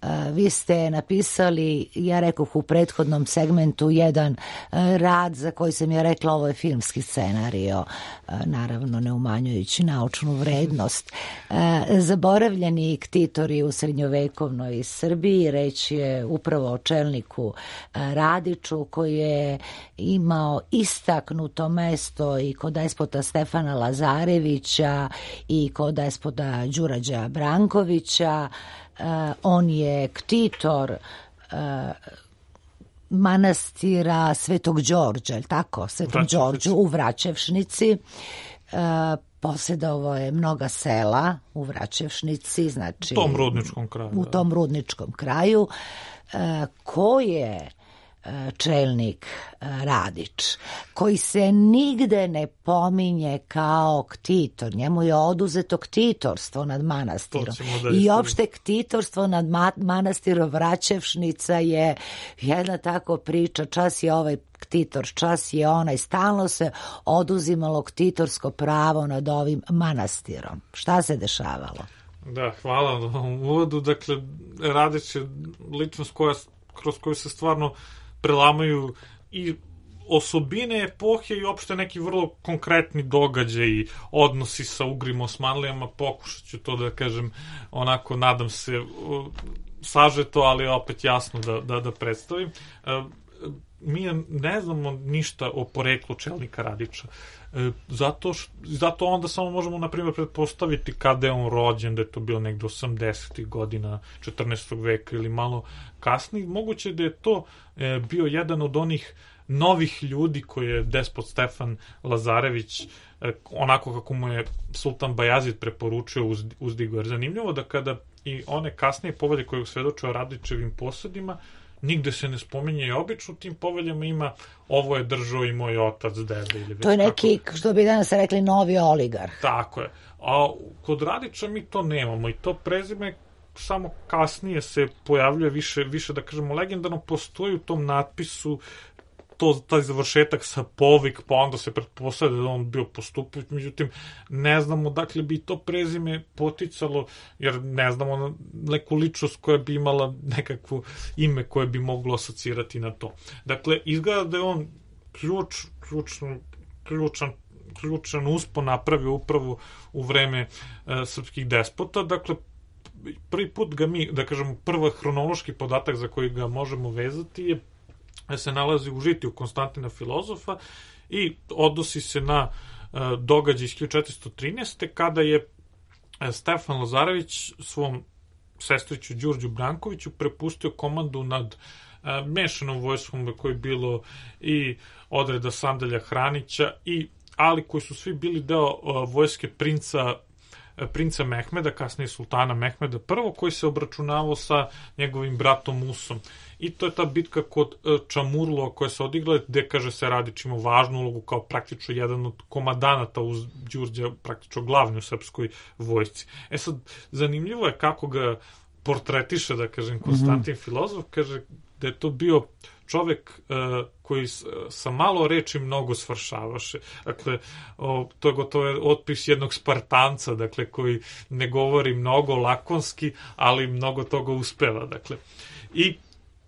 Uh, vi ste napisali, ja rekoh u prethodnom segmentu, jedan uh, rad za koji sam ja rekla ovo je filmski scenario, uh, naravno ne umanjujući naučnu vrednost. Uh, zaboravljeni ktitori u srednjovekovnoj Srbiji, reč je upravo o čelniku uh, Radiću koji je imao istaknuto mesto i kod despota Stefana Lazarevića i kod despota Đurađa Brankovića. Uh, on je ktitor uh, manastira Svetog Đorđa, je li tako? Svetom Đorđu u Vraćevšnici. Uh, posjedovao je mnoga sela u Vraćevšnici, znači u tom rudničkom kraju. U tom rudničkom kraju. Uh, ko je čelnik Radić, koji se nigde ne pominje kao ktitor. Njemu je oduzeto ktitorstvo nad manastirom. I opšte ktitorstvo nad manastirom Vraćevšnica je jedna tako priča, čas je ovaj ktitor, čas je onaj, stalno se oduzimalo ktitorsko pravo nad ovim manastirom. Šta se dešavalo? Da, hvala na ovom uvodu. Dakle, Radić je ličnost koja, kroz koju se stvarno prelamaju i osobine epohe i opšte neki vrlo konkretni događaji, odnosi sa Ugrima, Osmanlijama. Pokušat ću to da kažem onako, nadam se, sažeto, ali opet jasno da, da, da predstavim. Mi ne znamo ništa o poreklu čelnika Radića. Zato, š, zato onda samo možemo, na primjer, pretpostaviti kada je on rođen, da je to bilo negde osamdesetih godina četrnaestog veka ili malo kasnije. Moguće da je to e, bio jedan od onih novih ljudi koje je despot Stefan Lazarević, e, onako kako mu je sultan Bajazid preporučio, uz, uzdigo. Jer zanimljivo da kada i one kasnije povelje koje svedoče o Radićevim posadima, nigde se ne spominje i obično tim poveljama ima ovo je držao i moj otac, deda ili već. To je neki, tako, što bi danas rekli, novi oligarh. Tako je. A kod Radića mi to nemamo i to prezime samo kasnije se pojavljuje više, više da kažemo legendarno, postoji u tom natpisu to, taj završetak sa povik, pa onda se pretpostavlja da on bio Postupović, međutim ne znamo dakle bi to prezime poticalo, jer ne znamo neku ličnost koja bi imala nekakvo ime koje bi moglo asocirati na to. Dakle, izgleda da je on ključ, ključan, ključan ključan uspon napravio upravo u vreme e, srpskih despota. Dakle, prvi put ga mi, da kažemo, prvi hronološki podatak za koji ga možemo vezati je se nalazi u žitiju Konstantina Filozofa i odnosi se na uh, događaj iz hiljadu četiristo trinaeste. kada je uh, Stefan Lazarević svom sestriću Đurđu Brankoviću prepustio komandu nad uh, mešanom vojskom koje je bilo i odreda Sandalja Hranića, i, ali koji su svi bili deo uh, vojske princa princa Mehmeda, kasnije sultana Mehmeda I, koji se obračunavao sa njegovim bratom Musom. I to je ta bitka kod Čamurlo koja se odigla, gde, kaže se, Radić imao važnu ulogu kao praktično jedan od komandanata uz Đurđa, praktično glavni u srpskoj vojsci. E sad, zanimljivo je kako ga portretiše, da kažem, Konstantin mm-hmm. Filozof, kaže da je to bio čovek uh, koji s, sa malo reči mnogo svršavaše. Dakle, o, to je gotovo otpis jednog Spartanca, dakle, koji ne govori mnogo lakonski, ali mnogo toga uspeva. Dakle, i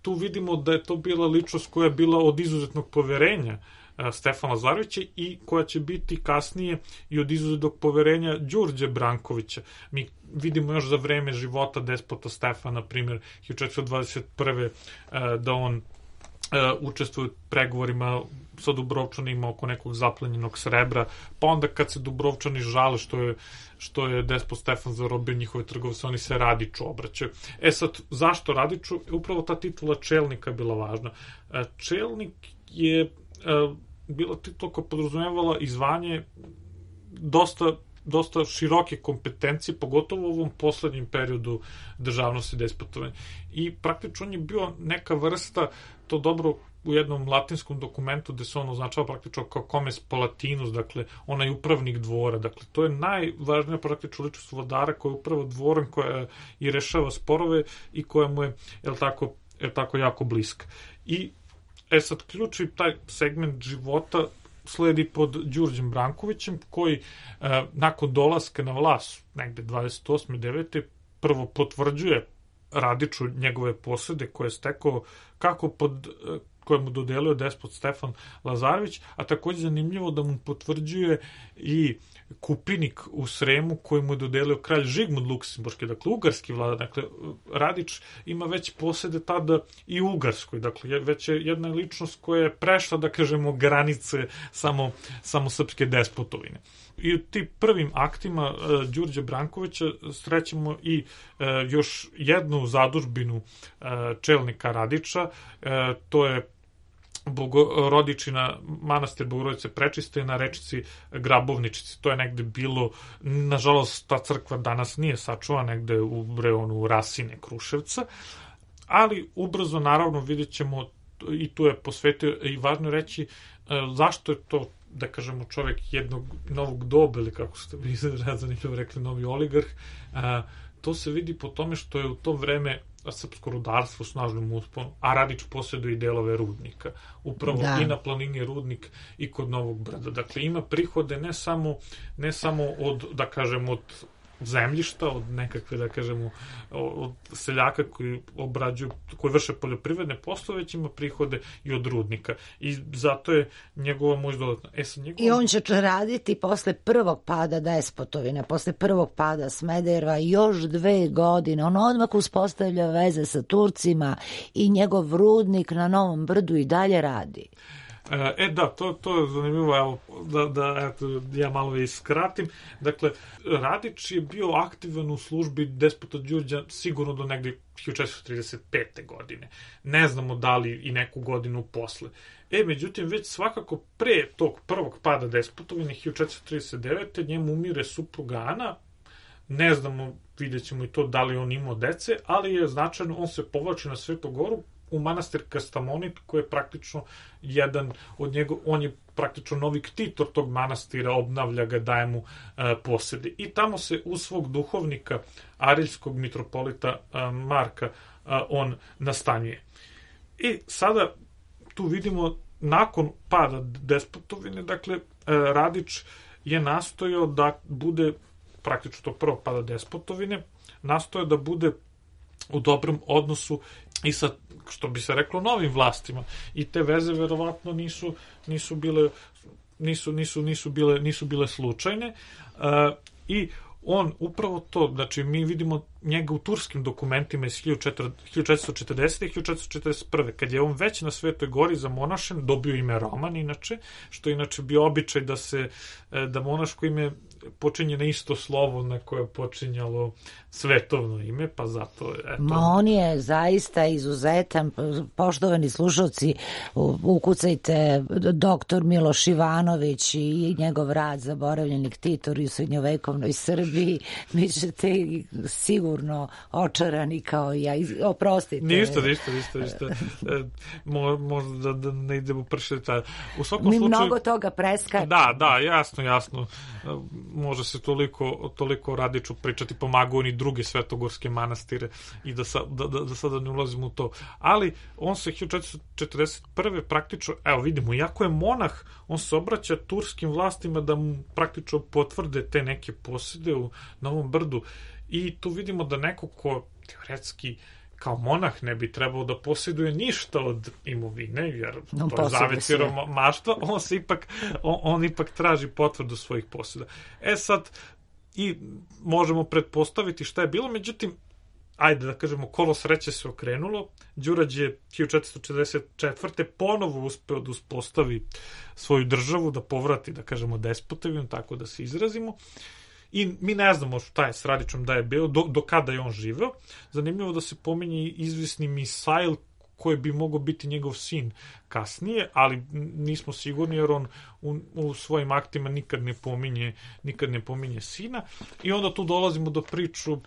tu vidimo da je to bila ličnost koja je bila od izuzetnog poverenja uh, Stefana Lazarevića i koja će biti kasnije i od izuzetnog poverenja Đurđe Brankovića. Mi vidimo još za vreme života despota Stefana, na primjer, hiljadu četiristo dvadeset prve. Uh, da on učestvuje u pregovorima sa Dubrovčanima oko nekog zaplenjenog srebra, pa onda kad se Dubrovčani žale što je, što je despot Stefan zarobio njihove trgovce, oni se Radiću obraćaju. E sad, zašto Radiću? Upravo ta titula čelnika je bila važna. Čelnik je bila titula koja podrazumevala i zvanje dosta dosta široke kompetencije, pogotovo u ovom poslednjem periodu državnosti despotovanja. I praktično on je bio neka vrsta, to dobro u jednom latinskom dokumentu gde se on označava praktično kao comes palatinus, dakle onaj upravnik dvora, dakle to je najvažnija praktično ličnost vladara koja je upravo dvoran, koja i rešava sporove i koja mu je, je tako, je tako jako bliska. I e sad ključni taj segment života sledi pod Đurđem Brankovićem, koji e, nakon dolaska na vlast, negde dvadeset osme devete prvo potvrđuje Radiću njegove posede koje je stekao kako pod, e, koje mu dodelio despot Stefan Lazarević, a takođe zanimljivo da mu potvrđuje i kupinik u Sremu koji mu je dodelio kralj Žigmund Luksemburški, dakle ugarski vladar. Dakle, Radić ima već posede tada i u Ugarskoj, dakle već je jedna ličnost koja je prešla, da kažemo, granice samo, samo srpske despotovine. I u tim prvim aktima uh, Đurđe Brankovića srećemo i uh, još jednu zadužbinu uh, čelnika Radića, uh, to je Bogorodičina, manastir Bogorodice Prečiste na rečici Grabovničici. To je negde bilo, nažalost ta crkva danas nije sačuvana, negde u reonu Rasine, Kruševca, ali ubrzo naravno vidjet ćemo, i tu je posvetio, i važno reći zašto je to, da kažemo, čovek jednog novog doba, ili kako ste vi zanimljivo rekli, novi oligarh. To se vidi po tome što je u to vreme srpsko rudarstvo u snažnom usponu, a Radić posjeduje i delove rudnika. Upravo da. I na planini Rudnik i kod Novog Brda. Dakle, ima prihode ne samo, ne samo od, da kažem, od zemljišta, od nekakve, da kažemo, od seljaka koji obrađuju, koji vrše poljoprivredne poslove, već ima prihode i od rudnika. I zato je njegova moć dodatna. E, njegova... I on će raditi posle prvog pada despotovine, posle prvog pada Smedereva još dve godine. On odmah uspostavlja veze sa Turcima i njegov rudnik na Novom Brdu i dalje radi. E da, to, to je zanimljivo, evo, da, da eto, ja malo i skratim. Dakle, Radić je bio aktivan u službi despota Đurđa sigurno do negde hiljadu četiristo trideset pete. godine. Ne znamo da li i neku godinu posle. E, međutim, već svakako pre tog prvog pada despotovine hiljadu četiristo trideset devete. njemu umire supruga Ana. Ne znamo, vidjet ćemo i to da li on imao dece, ali je značajno, on se povlači na Svetu Goru u manastir Kastamonit, koji je praktično jedan od njega, on je praktično novi ktitor tog manastira, obnavlja ga, daje mu e, posede. I tamo se uz svog duhovnika, ariljskog mitropolita e, Marka, e, on nastanjuje. I sada tu vidimo, nakon pada despotovine, dakle, e, Radić je nastojao da bude, praktično to prvo pada despotovine, nastojao da bude u dobrom odnosu i sa, što bi se reklo, novim vlastima. I te veze verovatno nisu, nisu bile nisu, nisu, nisu, bile, nisu bile slučajne. Uh, I on upravo to, znači mi vidimo njega u turskim dokumentima iz hiljadu četiristo četrdesete. i hiljadu četiristo četrdeset prve. kad je on već na Svetoj Gori zamonašen, dobio ime Roman inače, što je inače bio običaj da se, da monaško ime počinje na isto slovo na koje je počinjalo svetovno ime, pa zato eto. Ma on je zaista izuzetan. Poštovani slušalci, ukucajte doktor Miloš Ivanović i njegov rad Zaboravljeni ktitori u srednjovekovnoj Srbiji. Mi ćete sigurno očarani kao ja. Oprostite. Ništa, ništa, ništa, ništa. Mo, možda da, da ne idemo prše detalje. U svakom Mi slučaju, mnogo toga preskačemo. Da, da, jasno, jasno. Može se toliko, toliko Radiću pričati, pomagao on i druge svetogorske manastire i da, sa, da, da, da sada ne ulazimo u to. Ali on se hiljadu četiristo četrdeset prve. praktično, evo vidimo, iako je monah, on se obraća turskim vlastima da mu praktično potvrde te neke posede u Novom Brdu. I tu vidimo da neko ko teoretski kao monah ne bi trebao da posjeduje ništa od imovine, jer no, to je zavet siromaštva, on se ipak, on, on ipak traži potvrdu svojih posjeda. E sad, i možemo pretpostaviti šta je bilo, međutim, ajde da kažemo, kolo sreće se okrenulo. Đurađ je hiljadu četiristo četrdeset četvrte ponovo uspeo da uspostavi svoju državu, da povrati, da kažemo, despotevinu, tako da se izrazimo. I mi ne znamo šta je s Radićem, da je bio, do, do kada je on živeo. Zanimljivo da se pominje izvisni Misail, koji bi mogao biti njegov sin kasnije, ali nismo sigurni jer on u, u svojim aktima nikad ne pominje, nikad ne pominje sina. I onda tu dolazimo do priču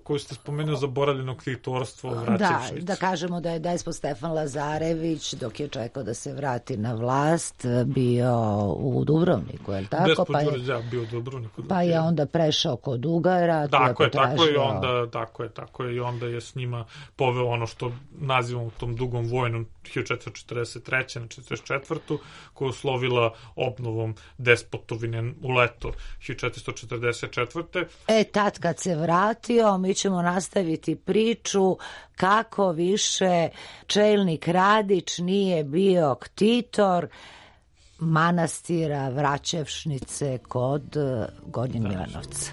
koju ste spomenuli, zaboravljenog titorstva Vraćevšnice. Da, da kažemo da je despot Stefan Lazarević, dok je čekao da se vrati na vlast, bio u Dubrovniku, je li tako? Despot pa Đurađ, ja, bio u Dubrovniku. Pa je onda prešao kod Ugara. Tako je, tako je, onda, tako je, tako je, i onda je s njima poveo ono što nazivamo tom dugom vojnom hiljadu četiristo četrdeset treće na četrdeset četvrtu koja uslovila obnovom despotovine u leto hiljadu četiristo četrdeset četvrte. E, tad kad se vratio, mi ćemo nastaviti priču kako više čelnik Radić nije bio ktitor manastira Vraćevšnice kod Gornjeg Milanovca.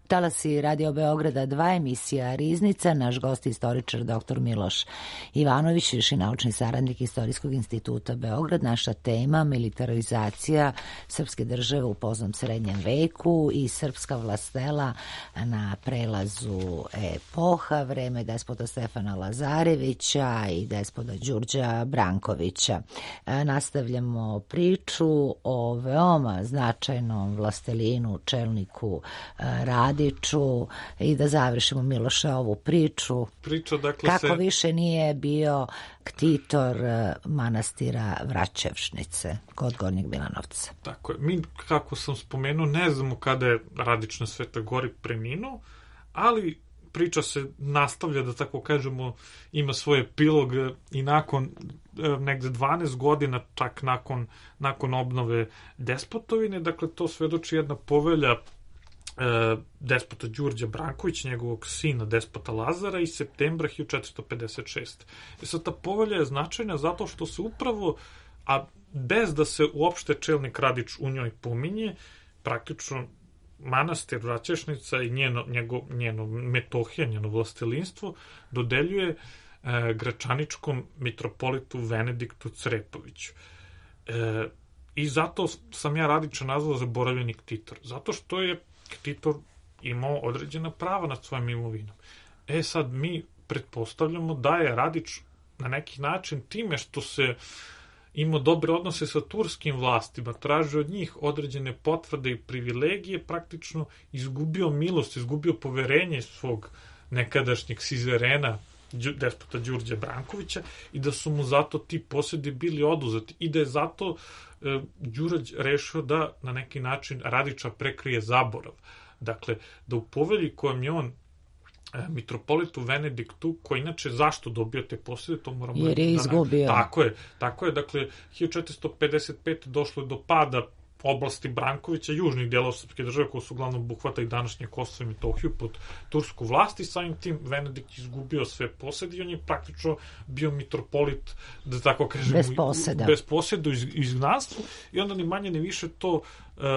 Talasi Radio Beograda dva, emisija Riznica, naš gost istoričar doktor Miloš Ivanović, viši naučni saradnik Istorijskog instituta Beograd. Naša tema militarizacija srpske države u poznom srednjem veku i srpska vlastela na prelazu epoha, vreme despota Stefana Lazarevića i despota Đurđa Brankovića. Nastavljamo priču o veoma značajnom vlastelinu, čelniku Radiću, i da završimo, Miloše, ovu priču. Priča, dakle, kako se... više nije bio ktitor manastira Vraćevšnice kod Gornjeg Milanovca. Tako je. Mi, kako sam spomenuo, ne znamo kada je Radić na Svetoj Gori preminuo, ali priča se nastavlja, da tako kažemo, ima svoj epilog i nakon negde dvanaest godina, čak nakon, nakon obnove despotovine. Dakle, to svedoči jedna povelja despota Đurđa Brankovića, njegovog sina despota Lazara, iz septembra hiljadu četiristo pedeset šeste. I sad ta povelja je značajna zato što se upravo, a bez da se uopšte čelnik Radić u njoj pominje, praktično manastir Vraćevšnica i njeno, njego, njeno Metohija, njeno vlastelinstvo dodeljuje e, gračaničkom mitropolitu Venediktu Crepoviću. E, I zato sam ja Radića nazvao zaboravljeni ktitor. Zato što je ktitor imao određena prava nad svojim imovinom. E sad, mi pretpostavljamo da je Radić na neki način time što se imao dobre odnose sa turskim vlastima, tražio od njih određene potvrde i privilegije, praktično izgubio milost, izgubio poverenje svog nekadašnjeg sizerena, despota Đurđa Brankovića, i da su mu zato ti posedi bili oduzeti i da je zato e, Đurađ rešio da na neki način Radića prekrije zaborav. Dakle, da u povelji kojom je on e, mitropolitu Venediktu, koji inače zašto dobio te posede, to moramo... Jer je izgubio. Da, tako je, tako je, dakle, hiljadu četiristo pedeset pete došlo je do pada oblasti Brankovića, južnih delova srpske države, koja su uglavnom obuhvata i današnje Kosovo i Metohiju pod tursku vlast, i samim tim Venedikt izgubio sve posede i on je praktično bio mitropolit, da tako kažemo, bez poseda, bez poseda u izgnanstvu, i onda ni manje ni više to uh,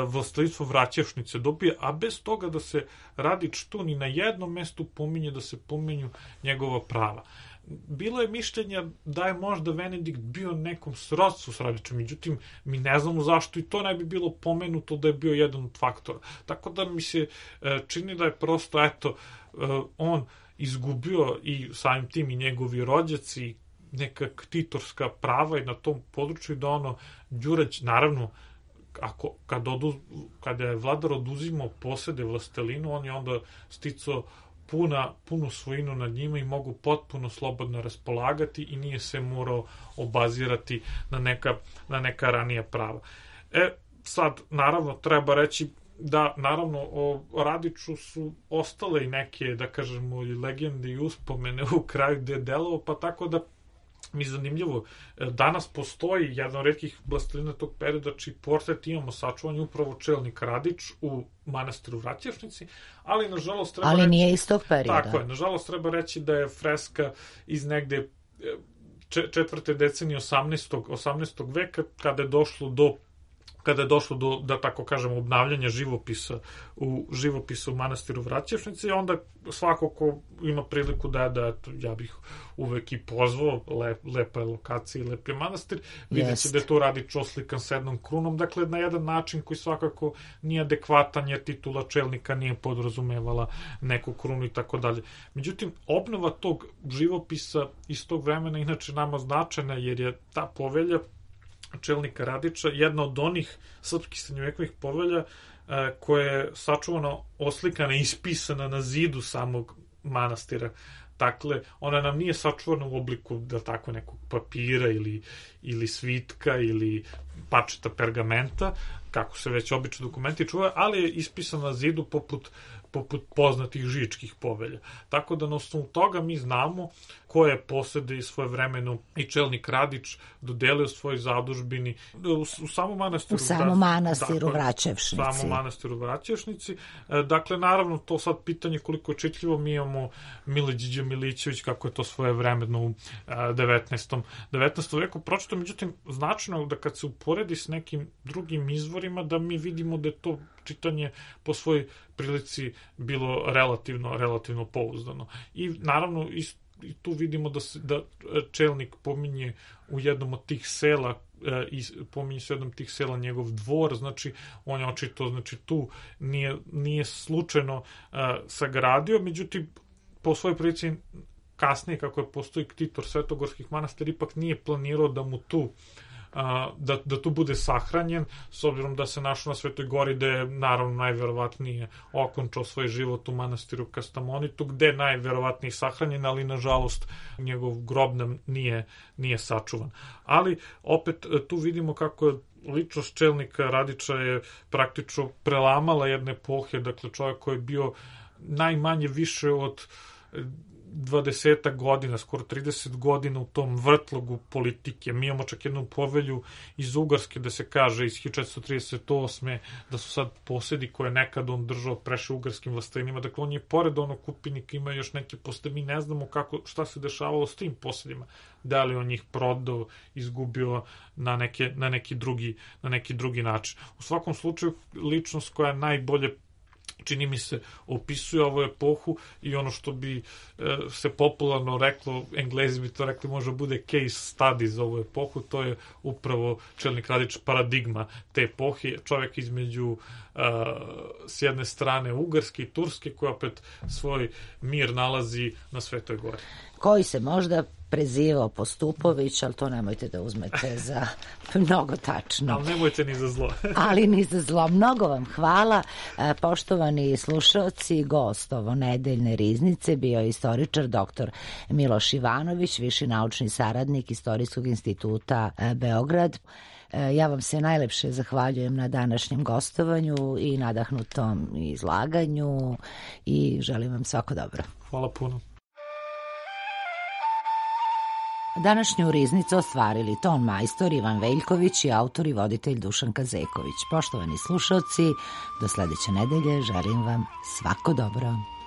vlastelstvo Vraćevšnice dobije, a bez toga da se Radić tu ni na jednom mestu pominje, da se pominju njegova prava. Bilo je mišljenja da je možda Venedikt bio nekom srodstvu s Radićem, međutim, mi ne znamo zašto i to ne bi bilo pomenuto da je bio jedan od faktora. Tako da mi se čini da je prosto, eto, on izgubio i samim tim i njegovi rođaci neka ktitorska prava i na tom području, da ono Đurać, naravno, ako, kad odu, kada je vladar oduzimao posede vlastelinu, on je onda sticao puna, punu svojinu nad njima i mogu potpuno slobodno raspolagati i nije se morao obazirati na neka, na neka ranija prava. E, sad, naravno, treba reći da, naravno, o Radiću su ostale i neke, da kažemo, legende i uspomene u kraju gde je delovao, pa tako da mi zanimljivo, danas postoji jedan od retkih vlastelina tog perioda čiji portret imamo sačuvan upravo čelnik Radić u manastiru Vraćevšnici, ali nažalost treba ali reći, nije iz tog perioda. Tako je, nažalost treba reći da je freska iz negde četvrte decenije osamnaestog. osamnaestog veka, kada je došlo do kada je došlo do, da tako kažemo, obnavljanja živopisa u živopisu u manastiru Vraćevšnici, onda svako ko ima priliku da, da ja bih uvek i pozvao, lep, lepa je lokacija i lep je manastir, vidjet će da je to Radić oslikan s jednom krunom, dakle na jedan način koji svakako nije adekvatan, jer titula čelnika nije podrazumevala neku krunu i tako dalje. Međutim, obnova tog živopisa iz tog vremena inače nama značajna, jer je ta povelja čelnika Radića jedna od onih srpskih srednjovekovih povelja e, koja je sačuvano oslikana i ispisana na zidu samog manastira. Dakle, ona nam nije sačuvana u obliku, da tako, nekog papira ili, ili svitka ili parčeta pergamenta, kako se već obično dokumenti čuvaju, ali je ispisana na zidu poput poput poznatih žičkih povelja. Tako da na osnovu toga mi znamo koje posede i svoje vremeno i čelnik Radić dodelio svoj zadužbini u, u samom manastiru, u samom manastiru dakle, Vraćevšnici. U samom manastiru Vraćevšnici. Dakle, naravno, to sad pitanje koliko je čitljivo. Mi imamo Mile Điđe Milićević, kako je to svoje vremeno u devetnaestom veku pročito. Međutim, značajno da kad se uporedi s nekim drugim izvorima, da mi vidimo da je to čitanje po svojoj prilici bilo relativno, relativno pouzdano. I naravno, i tu vidimo da, se, da čelnik pominje u jednom od tih sela, e, i pominje se u jednom tih sela njegov dvor, znači on je očito, znači tu nije, nije slučajno e, sagradio, međutim po svojoj prilici kasnije, kako je postoji ktitor svetogorskih manastira, ipak nije planirao da mu tu Da, da tu bude sahranjen, s obzirom da se našao na Svetoj gori, gde je naravno najverovatnije okončao svoj život u manastiru Kastamonitu, gde je najverovatnije sahranjen, ali nažalost njegov grob nam nije, nije sačuvan. Ali opet tu vidimo kako je ličnost čelnika Radića je praktično prelamala jedne epohe, dakle čovjek koji je bio najmanje više od dvadeset godina, skoro trideset godina u tom vrtlogu politike. Mi imamo čak jednu povelju iz Ugarske da se kaže iz hiljadu četiristo trideset osme da su sad posedi koje nekad on držao preše ugarskim vlastelinima. Dakle, on je pored onog kupinika ima još neke posede. Mi ne znamo kako, šta se dešavalo s tim posedima. Da li on njih prodao, izgubio na, neke, na, neki drugi, na neki drugi način. U svakom slučaju, ličnost koja najbolje čini mi se opisuje ovu epohu i ono što bi e, se popularno reklo, Englezi bi to rekli, može bude case study za ovu epohu, to je upravo čelnik Radić paradigma te epohe, čovjek između e, s jedne strane Ugarske i Turske, koja opet svoj mir nalazi na Svetoj gori. Koji se možda prezivao Postupović, ali to nemojte da uzmete za mnogo tačno. Ali nemojte ni za zlo. ali ni za zlo. Mnogo vam hvala. Poštovani slušalci, gost ovo nedeljne riznice bio je istoričar doktor Miloš Ivanović, viši naučni saradnik Istorijskog instituta Beograd. Ja vam se najlepše zahvaljujem na današnjem gostovanju i nadahnutom izlaganju i želim vam svako dobro. Hvala puno. Današnju riznicu ostvarili ton majstor Ivan Veljković i autor i voditelj Dušan Kazeković. Poštovani slušalci, do sledeće nedelje želim vam svako dobro.